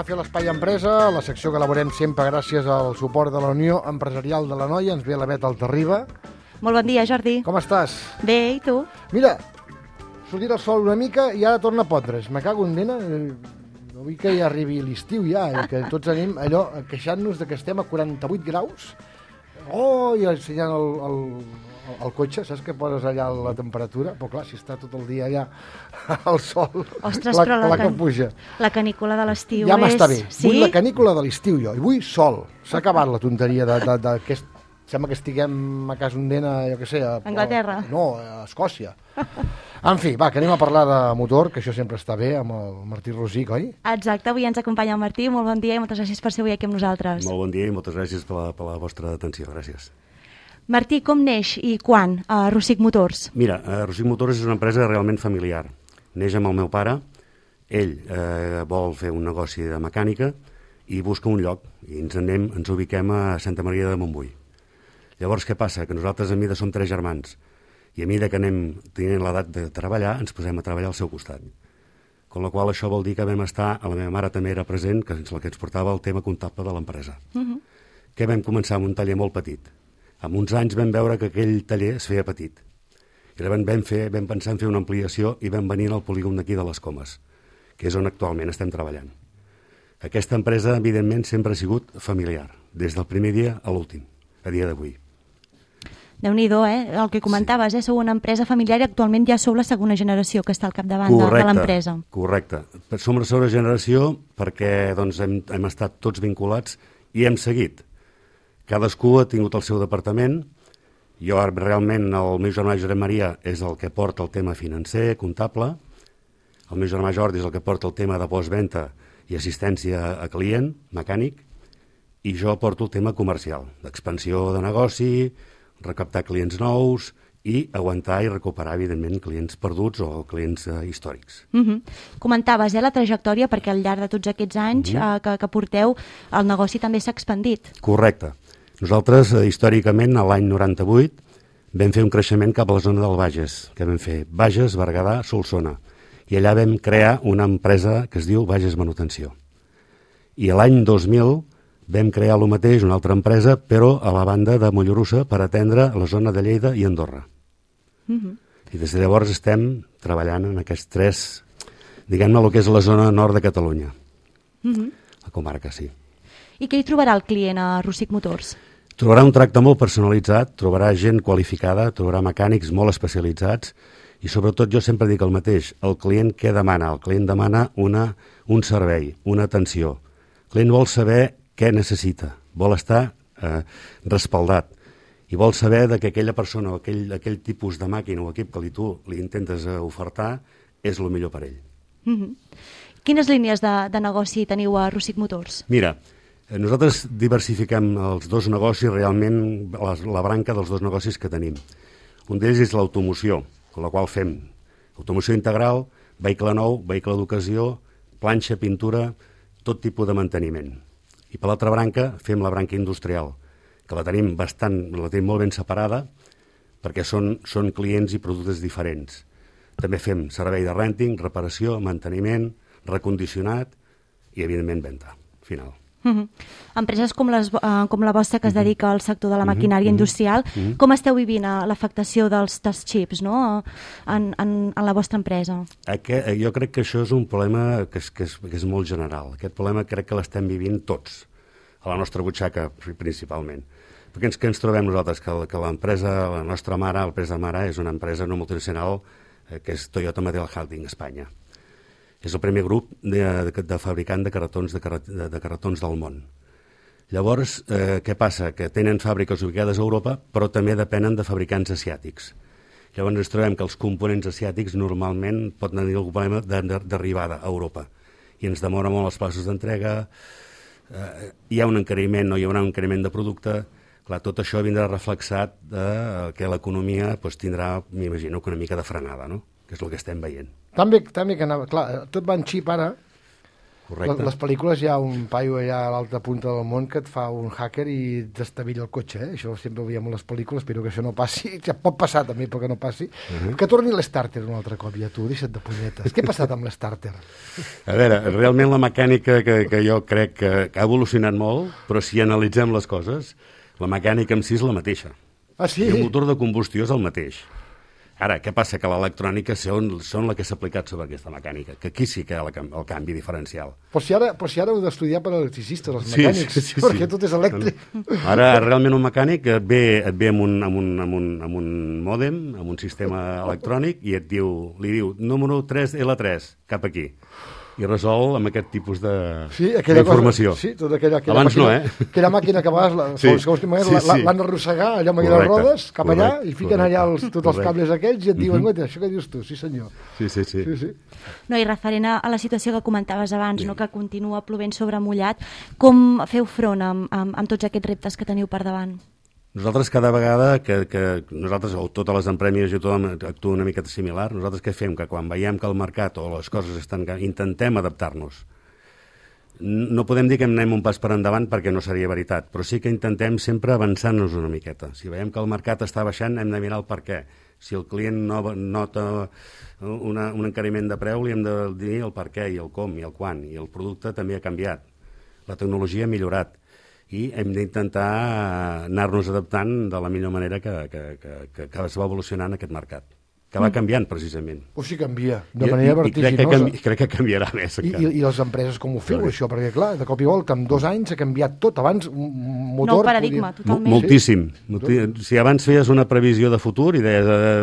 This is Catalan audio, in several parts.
a fer l'Espai Empresa, la secció que elaborem sempre gràcies al suport de la Unió Empresarial de l'Anoia. Ens ve la Bet Altarriba. Molt bon dia, Jordi. Com estàs? Bé, i tu? Mira, sortit el sol una mica i ara torna a pondre's. Me cago en dena. No vull que ja arribi l'estiu ja, i que tots anem allò queixant-nos de que estem a 48 graus. I ensenyant el cotxe, saps que poses allà la temperatura? Però clar, si està tot el dia allà al sol, ostres, la que puja. La canícula de l'estiu ja m'està bé. Sí? Vull la canícula de l'estiu jo, i vull sol. S'ha acabat la tonteria d'aquest... Sembla que estiguem a casa Ondena, jo què sé... A Anglaterra. No, a Escòcia. En fi, va, que anem a parlar de motor, que això sempre està bé, amb el Martí Rosic, oi? Exacte, avui ens acompanya el Martí. Molt bon dia i moltes gràcies per ser avui aquí amb nosaltres. Molt bon dia i moltes gràcies per la vostra atenció, gràcies. Martí, com neix i quan a Rosic Motors? Mira, Rosic Motors és una empresa realment familiar. Neix amb el meu pare, ell vol fer un negoci de mecànica i busca un lloc, i ens ubiquem a Santa Maria de Montbui. Llavors, què passa? Que nosaltres a mida som 3 germans i a mida que anem tenint l'edat de treballar, ens posem a treballar al seu costat. Con la qual això vol dir que vam estar, la meva mare també era present, que és la que ens portava el tema comptable de l'empresa. Que vam començar amb un taller molt petit. Amb uns anys vam veure que aquell taller es feia petit. I llavors vam pensar en fer una ampliació i vam venir al polígon d'aquí de les Comes, que és on actualment estem treballant. Aquesta empresa, evidentment, sempre ha sigut familiar, des del primer dia a l'últim, a dia d'avui. Déu-n'hi-do, el que comentaves, sou una empresa familiar i actualment ja sou la segona generació que està al capdavant de l'empresa. Correcte. Som la segona generació perquè doncs, hem estat tots vinculats i hem seguit. Cadascú ha tingut el seu departament. Jo realment, el meu germà Josep Maria és el que porta el tema financer, comptable. El meu germà Jordi és el que porta el tema de postventa i assistència a client, mecànic. I jo porto el tema comercial, d'expansió de negoci, recaptar clients nous i aguantar i recuperar, evidentment, clients perduts o clients històrics. Comentaves la trajectòria perquè al llarg de tots aquests anys que porteu, el negoci també s'ha expandit. Correcte. Nosaltres, històricament, a l'any 98, vam fer un creixement cap a la zona del Bages, que vam fer Bages, Berguedà, Solsona. I allà vam crear una empresa que es diu Bages Manutenció. I l'any 2000 vam crear el mateix, una altra empresa, però a la banda de Mollerussa per atendre la zona de Lleida i Andorra. I des de llavors estem treballant en aquests 3, diguem-ne, el que és la zona nord de Catalunya. La comarca, sí. I què hi trobarà el client a Rosic Motors? Trobarà un tracte molt personalitzat, trobarà gent qualificada, trobarà mecànics molt especialitzats i sobretot jo sempre dic el mateix, el client què demana? El client demana un servei, una atenció. El client vol saber què necessita, vol estar respaldat i vol saber que aquella persona o aquell tipus de màquina o equip que tu li intentes ofertar és el millor per ell. Quines línies de negoci teniu a Rosic Motors? Mira, nosaltres diversifiquem els dos negocis, realment la branca dels dos negocis que tenim. Un d'ells és l'automoció, amb la qual fem automoció integral, vehicle nou, vehicle d'ocasió, planxa, pintura, tot tipus de manteniment. I per l'altra branca fem la branca industrial, que la tenim molt ben separada perquè són clients i productes diferents. També fem servei de renting, reparació, manteniment, recondicionat i, evidentment, venda final. Empreses com la vostra que es dedica al sector de la maquinària industrial, com esteu vivint l'afectació dels xips en la vostra empresa? Jo crec que això és un problema que és molt general. Aquest problema crec que l'estem vivint tots, a la nostra butxaca principalment. Perquè què ens trobem nosaltres? Que l'empresa, la nostra mare, l'empresa mare, és una empresa no multinacional que és Toyota Material Handling Espanya. És el primer grup de fabricant de carretons del món. Llavors, què passa? Que tenen fàbriques ubicades a Europa, però també depenen de fabricants asiàtics. Llavors ens trobem que els components asiàtics normalment poden tenir algun problema d'arribada a Europa i ens demora molt els passos d'entrega, hi ha un encariment, no hi haurà un encariment de producte. Clar, tot això vindrà reflexat que l'economia tindrà, m'imagino, una mica de frenada, no? Que és el que estem veient. També que anava, clar, tot va en xip ara, Correcte. Les pel·lícules hi ha un paio allà a l'altra punta del món que et fa un hacker i destavilla el cotxe, Això sempre ho veiem a les pel·lícules, espero que això no passi. Ja pot passar també, però que no passi. Que torni l'Starter un altre cop, ja tu, deixa't de punyetes. Què ha passat amb l'Starter? A veure, realment la mecànica que jo crec que ha evolucionat molt, però si analitzem les coses, la mecànica en si és la mateixa. Ah, sí? I el motor de combustió és el mateix. Ara, què passa? Que l'electrònica són la que s'ha aplicat sobre aquesta mecànica, que aquí sí que hi ha el canvi diferencial. Però si ara heu d'estudiar per electricistes, els mecànics, perquè tot és elèctric. Ara, realment, un mecànic et ve amb un mòdem, amb un sistema electrònic, i li diu, número 3, L3, cap aquí. I resol amb aquest tipus d'informació. Sí, tota aquella Abans màquina, no, Aquella màquina que a vegades l'han d'arrossegar allà amb aquelles rodes, cap allà, i fiquen allà tots els cables aquells i et diuen, això què dius tu? Sí, senyor. Sí. No, i referent a la situació que comentaves abans, no, que continua plovent sobre mullat, com feu front amb tots aquests reptes que teniu per davant? Nosaltres cada vegada que nosaltres, o totes les empreses i tothom actua una miqueta similar, nosaltres què fem? Que quan veiem que el mercat o les coses intentem adaptar-nos. No podem dir que anem un pas per endavant perquè no seria veritat, però sí que intentem sempre avançar-nos una miqueta. Si veiem que el mercat està baixant, hem de mirar el per què. Si el client nota un encariment de preu, li hem de dir el per què i el com i el quan, i el producte també ha canviat. La tecnologia ha millorat. I hem d'intentar anar-nos adaptant de la millor manera que es va evolucionant aquest mercat, que va canviant precisament. O sigui, canvia, de manera vertiginosa. I crec que canviarà més. I les empreses com ho feu, això? Perquè, clar, de cop i volta, en 2 anys ha canviat tot. Abans, un motor... Nou paradigma, totalment. Moltíssim. Si abans feies una previsió de futur i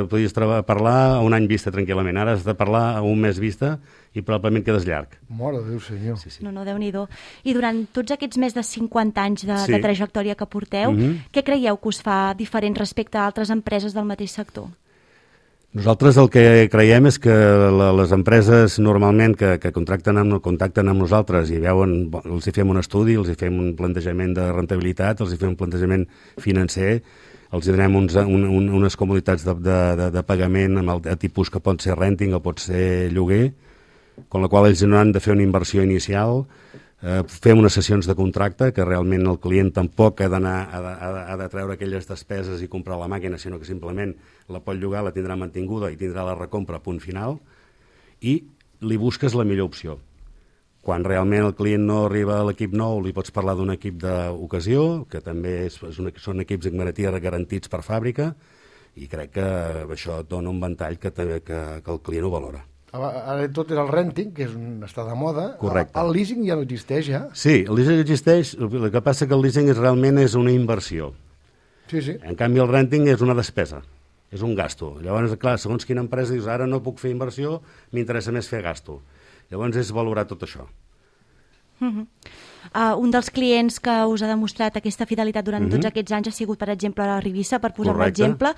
podies parlar a un any vista tranquil·lament, ara has de parlar a un mes vista i probablement quedes llarg. Mare de Déu, senyor. Sí. No, Déu-n'hi-do. I durant tots aquests més de 50 anys de trajectòria que porteu, què creieu que us fa diferent respecte a altres empreses del mateix sector? Nosaltres el que creiem és que les empreses normalment que contacten amb nosaltres i veuen, els hi fem un estudi, els hi fem un plantejament de rentabilitat, els hi fem un plantejament financer, els hi donem unes comoditats de pagament amb el tipus que pot ser renting o pot ser lloguer, amb la qual ells no han de fer una inversió inicial, fem unes sessions de contracte que realment el client tampoc ha de treure aquelles despeses i comprar la màquina, sinó que simplement la pot llogar, la tindrà mantinguda i tindrà la recompra a punt final, i li busques la millor opció. Quan realment el client no arriba a l'equip nou, li pots parlar d'un equip d'ocasió, que també són equips en garantia garantits per fàbrica, i crec que això et dona un ventall que el client ho valora. Ara tot és el renting, que està de moda. Correcte. El leasing ja no existeix, ja? Sí, el leasing existeix, el que passa que el leasing realment és una inversió. Sí. En canvi el renting és una despesa, és un gasto. Llavors, clar, segons quina empresa dius, ara no puc fer inversió, m'interessa més fer gasto. Llavors és valorar tot això. Un dels clients que us ha demostrat aquesta fidelitat durant tots aquests anys ha sigut, per exemple, la Rivisa, per posar un exemple.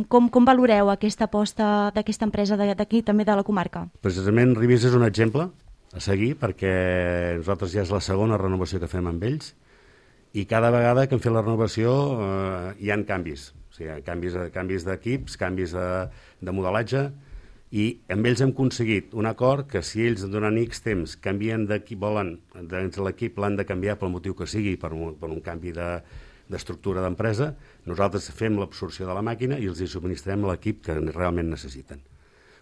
Com valoreu aquesta aposta d'aquesta empresa d'aquí, també de la comarca? Precisament Rivisa és un exemple a seguir, perquè nosaltres ja és la segona renovació que fem amb ells, i cada vegada que hem fet la renovació hi ha canvis. O sigui, canvis d'equips, canvis de modelatge, i amb ells hem aconseguit un acord que si ells durant X temps canvien d'equip, volen, l'equip l'han de canviar pel motiu que sigui, per un canvi d'estructura d'empresa, nosaltres fem l'absorció de la màquina i els hi subministrem l'equip que realment necessiten.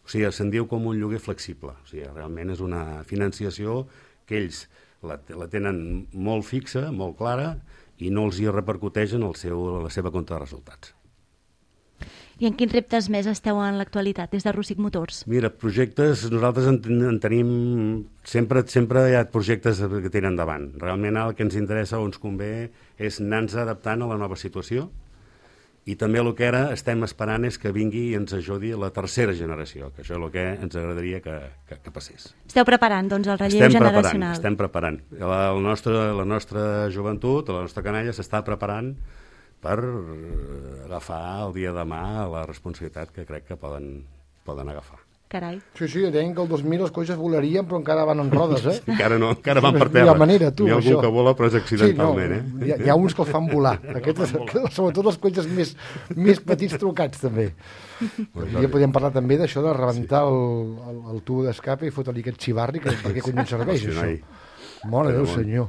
O sigui, se'n diu com un lloguer flexible. O sigui, realment és una financiació que ells la tenen molt fixa, molt clara, i no els hi repercuteix en la seva compte de resultats. I en quins reptes més esteu en l'actualitat, des de Rússic Motors? Mira, projectes, nosaltres en tenim... Sempre hi ha projectes que tenen endavant. Realment el que ens interessa o ens convé és anar-nos adaptant a la nova situació, i també el que ara estem esperant és que vingui i ens ajudi la tercera generació, que això és el que ens agradaria que passés. Esteu preparant, doncs, el relleu generacional? Estem preparant. La nostra joventut, la nostra canalla s'està preparant per agafar el dia de demà la responsabilitat que crec que poden agafar. Carai. Sí, deien que el 2000 les coses volarien, però encara van en rodes, eh? Encara no, encara van per Hi ha terra. manera, tu, Hi ha algú això. que vola, però és accidentalment, Hi ha uns que els fan volar. Aquests, sobretot els cotxes més petits trucats, també. Ja podíem parlar també d'això de rebentar el tubo d'escape i fotre-li aquest xivarri, que per què cony serveix, això? Mare Déu, senyor.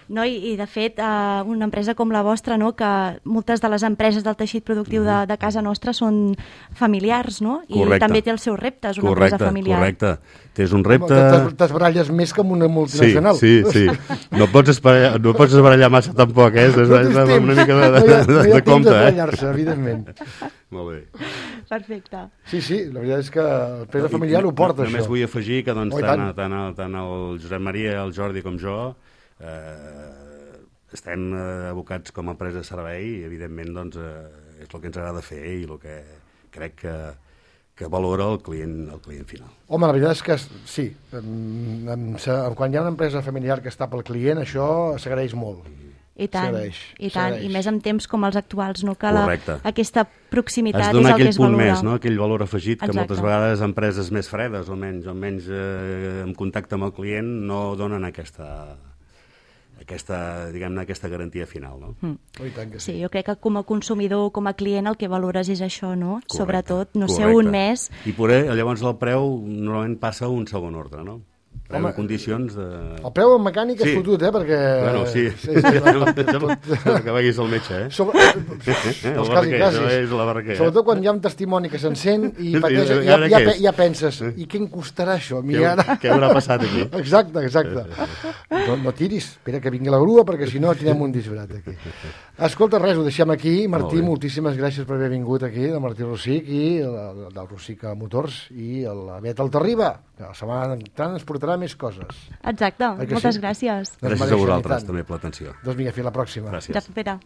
No, i de fet, una empresa com la vostra, no, que moltes de les empreses del teixit productiu de casa nostra són familiars, no? I també té els seus reptes, una empresa familiar. Correcte. Tens un repte... T'esbaralles més que amb una multinacional. Sí. No pots esbarallar massa tampoc, eh? Una mica de compte, eh? No evidentment. Molt bé. Perfecte. Sí, la veritat és que l'empresa familiar ho porta, això. Només vull afegir que tant el Josep Maria, el Jordi com jo estem abocats com a empresa de servei i evidentment doncs, és el que ens agrada fer i el que crec que valora el client final. Home, la veritat és que sí, quan hi ha una empresa familiar que està pel client, això s'agraeix molt. I tant, i més en temps com els actuals, no? Que aquesta proximitat és el que es valora. Has de donar aquell punt més, no? Aquell valor afegit que moltes vegades empreses més fredes o menys en contacte amb el client no donen aquesta garantia final, no? Sí, jo crec que com a consumidor, com a client, el que valores és això, no? Sobretot, no ser un més. I llavors el preu normalment passa a un segon ordre, no? Preu en condicions de... El preu en mecànic és fotut, perquè... Bueno, sí. Que vagis al metge, eh? La barraquer. Sobretot quan hi ha un testimoni que s'encén i ja penses, i què em costarà això? Què haurà passat aquí? Exacte. No tiris, espera que vingui la grua, perquè si no tindrem un disbarat aquí. Escolta, res, ho deixem aquí. Martí, moltíssimes gràcies per haver vingut aquí, del Martí Rosic i del Rosic Motors i la Bet Altarriba, que la setmana entrant ens portarà més coses. Exacte, moltes gràcies. Gràcies a vosaltres també per l'atenció. Doncs vinga, fins la pròxima. Gràcies. Espera.